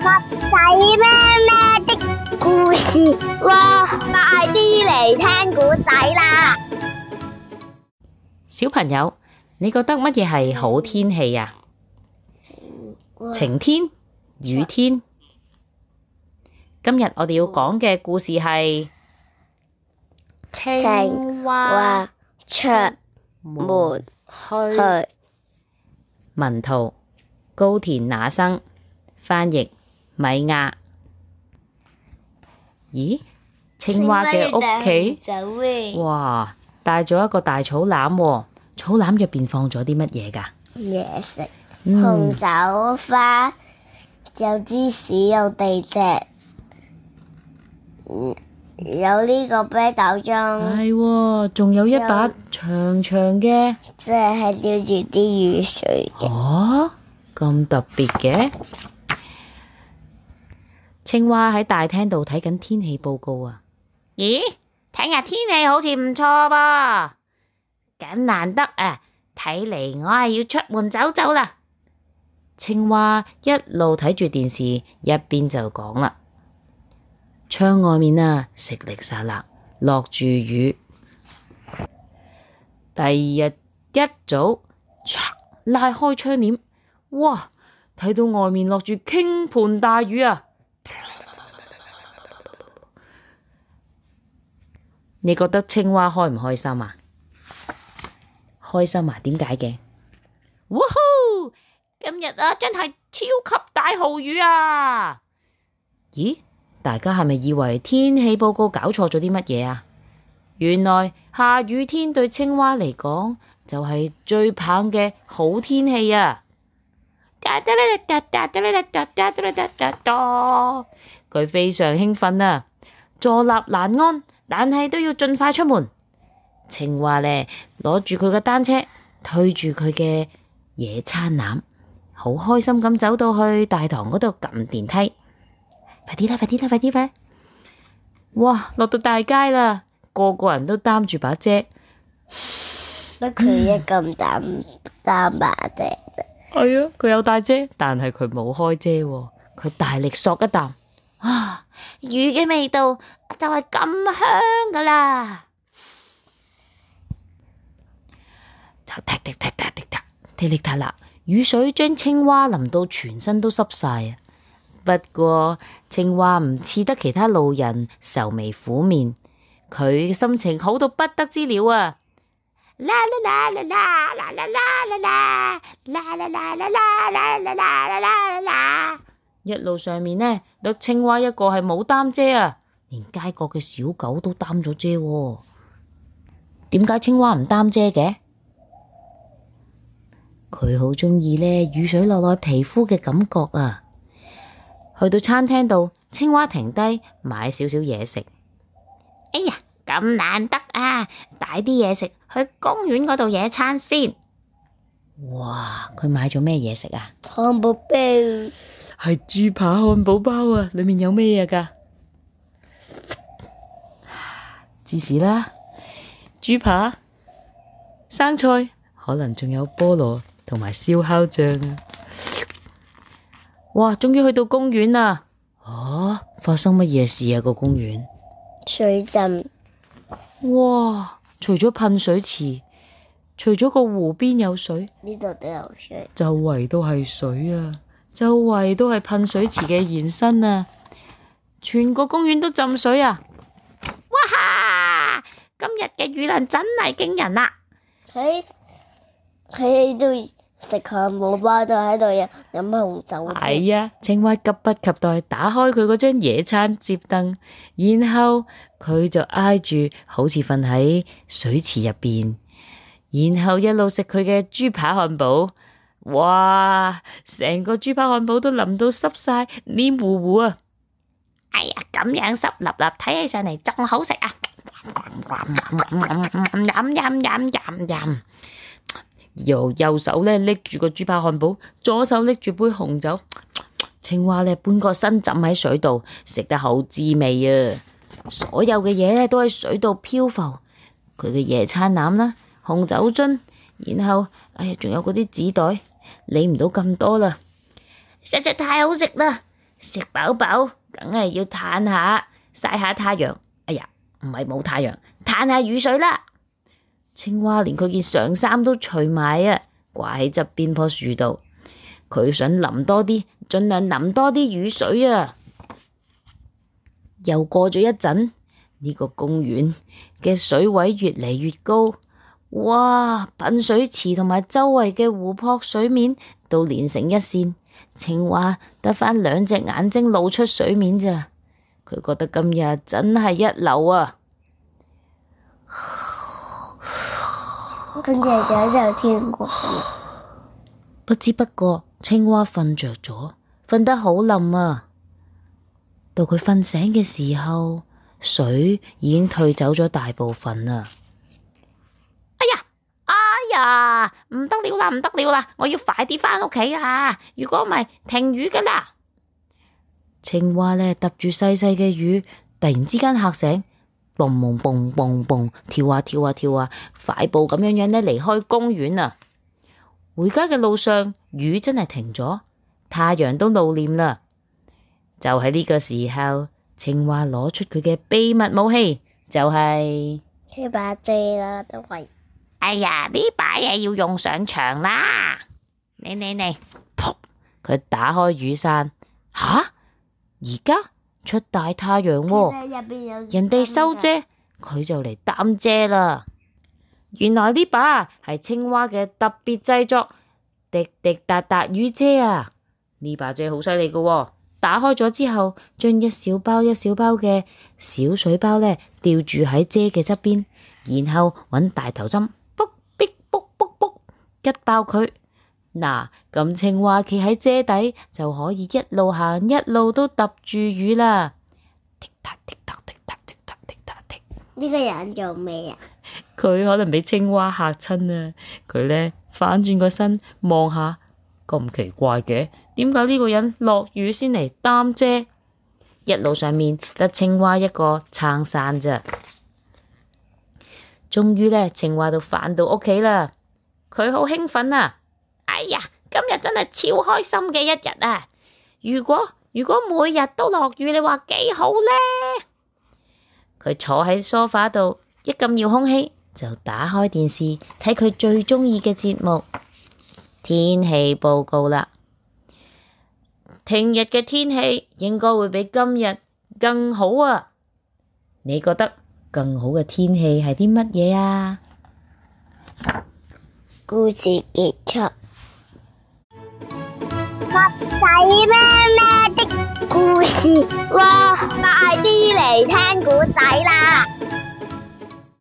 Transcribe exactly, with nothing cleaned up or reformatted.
仔咩咩的故事喎，快啲嚟聽古仔啦！小朋友，你覺得乜嘢係好天氣啊？晴天、雨天。今日我哋要講嘅故事係青蛙出門去。去。文圖高田那生，翻譯米亞。咦？青蛙嘅屋企，哇，帶咗一個大草籃喎，草籃入邊放咗啲乜嘢㗎？嘢食，嗯紅手花，有芝士，有地隻，嗯有呢個啤酒樽，係喎，仲有一把長長嘅，即係吊住啲雨水嘅。哦，咁特別嘅。青蛙喺大廳度睇緊天氣報告啊！咦，聽日天氣好似唔錯噃，咁難得啊！睇嚟我係要出門走走啦。青蛙一路睇住電視，一邊就講啦：窗外面啊，淅瀝沙礫，落住雨。第二日一早，唰拉開窗簾，哇！睇到外面落住傾盆大雨啊！你覺得青蛙開唔開心啊？開心啊？點解嘅？哇呼！今日啊，真係超級大豪雨啊！咦？大家係咪以為天氣報告搞錯咗啲乜嘢啊？原來下雨天對青蛙嚟講就係最棒嘅好天氣啊！佢非常興奮啊，坐立難安，但係都要盡快出門。青蛙呢，攞住佢嘅單車，推住佢嘅野餐籃，好開心咁走到去大堂嗰度撳電梯。快啲啦！快啲啦！快啲啦！哇，落到大街啦，個個人都擔住把遮，得佢一咁擔擔把遮啫。係啊，佢有帶遮，但係佢冇開遮喎。佢大力嗦一啖，啊，雨嘅味道就係咁香噶啦！就踢踢踢踢踢踢踢踢踢啦，雨水將青蛙淋到全身都濕晒啊！不過青蛙唔似得其他路人愁眉苦面，佢心情好到不得之了啊！啦啦啦啦啦啦啦啦啦啦啦啦啦啦啦啦啦啦啦！一路上面呢，得青蛙一個係冇擔遮啊，連街角嘅小狗都擔咗遮喎。點解青蛙唔擔遮嘅？佢好鍾意呢雨水落落皮膚嘅感覺啊！去到餐廳度，青蛙停低買少少嘢食。哎呀，咁難得啊！帶啲嘢食去公園嗰度野餐先。哇！佢買咗咩嘢食啊？漢堡包係豬扒漢堡包啊！裏面有咩嘢㗎？芝士啦，豬扒、生菜，可能仲有菠蘿同埋燒烤醬啊！哇！終於去到公園啦！啊，發生乜嘢事啊？個公園水浸。哇！除咗噴水池，除咗個湖邊有水，呢度都有水，周圍都係水啊！周圍都係噴水池嘅延伸啊！全個公園都浸水啊！哇哈！今日嘅雨量真係驚人啊！佢佢喺度食漢堡包，都喺度飲飲紅酒。係啊！青蛙急不及待打開佢嗰張野餐摺凳，然後佢就挨住好似瞓喺水池入邊，然後一路食佢嘅豬扒漢堡。哇！成個豬扒漢堡都淋到濕晒，黏糊糊啊！哎呀，咁樣濕立立，睇起上嚟仲好食啊！飲飲飲飲飲，右右手咧拎住個豬扒漢堡，左手拎住杯紅酒。青蛙咧半個身浸喺水度，食得好滋味啊！所有嘅嘢咧都喺水度漂浮，佢嘅野餐籃啦，紅酒樽，然後哎呀，仲有嗰啲紙袋。理唔到咁多啦，實在太好食啦！食飽飽，梗係要嘆下，曬下太陽。哎呀，唔係冇太陽，嘆下雨水啦。青蛙連佢件上衫都除埋啊，掛喺側邊棵樹度。佢想淋多啲，盡量淋多啲雨水啊。又過咗一陣，呢個公園嘅水位越嚟越高，哇！噴水池同埋周圍嘅湖泊水面都連成一線，青蛙得返兩隻眼睛露出水面咋。佢覺得今日真係一流啊！跟住就就天國。不知不覺，青蛙瞓着咗，瞓得好冧啊！到佢瞓醒嘅時候，水已經退走咗大部分啦。哎呀，哎呀，唔得了啦，唔得了啦！我要快啲返屋企啊！如果唔係，停雨噶啦！青蛙呢，揼住細細嘅雨，突然之間嚇醒，蹦蹦蹦蹦蹦，跳啊跳啊跳啊，快步咁樣樣呢離開公園啊！回家嘅路上，雨真係停咗，太陽都露臉啦。就喺呢個時候，青蛙攞出佢嘅秘密武器，就係呢把遮啦，都係。哎呀，呢把嘢要用上場啦！你你你，噗！佢打開雨傘，吓？而家出大太陽喎，人哋收遮，佢就嚟擔遮啦。原來呢把係青蛙嘅特別製作，滴滴答答雨遮啊！呢把遮好犀利噶，打開咗之後，將一小包一小包嘅小水包呢吊住喺遮嘅側邊，然後揾大頭針，卜逼卜卜卜，吉爆佢。嗱，咁青蛙企喺遮底就可以一路行一路都揼住雨啦。滴答滴答滴答滴答滴答滴。呢個人做咩啊？佢可能俾青蛙嚇親啊！佢呢反轉個身望下，咁奇怪嘅，點解呢個人落雨先嚟擔遮？一路上面得青蛙一個撐傘咋。終於呢，青蛙都返到屋企啦。佢好興奮啊！哎呀，今日真係超開心嘅一日啊！如果如果每日都落雨，你話幾好呢？佢坐喺梳化度，一撳遙控器就打開電視睇佢最中意嘅節目天氣報告啦。聽日嘅天氣應該會比今日更好啊！你覺得更好嘅天氣係啲乜嘢啊？故事結束。襪仔咩咩的故事，哇！快啲嚟聽故仔啦！